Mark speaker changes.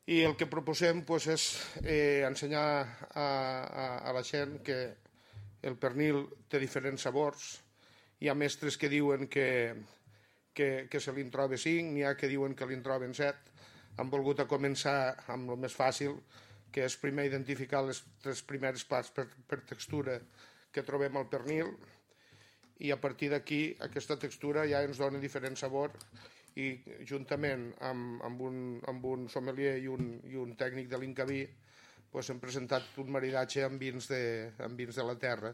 Speaker 1: I el que proposem és ensenyar a la gent que el pernil té diferents sabors. Hi ha mestres que diuen que se li'n troba 5, n'hi ha que diuen que li'n troben 7. Hem volgut començar amb el més fàcil, que és primer identificar les 3 primeres parts per textura que trobem al pernil, i a partir d'aquí aquesta textura ja ens dona diferent sabor, i juntament amb un sommelier i un tècnic de l'Incaví hem presentat un maridatge amb vins de la terra.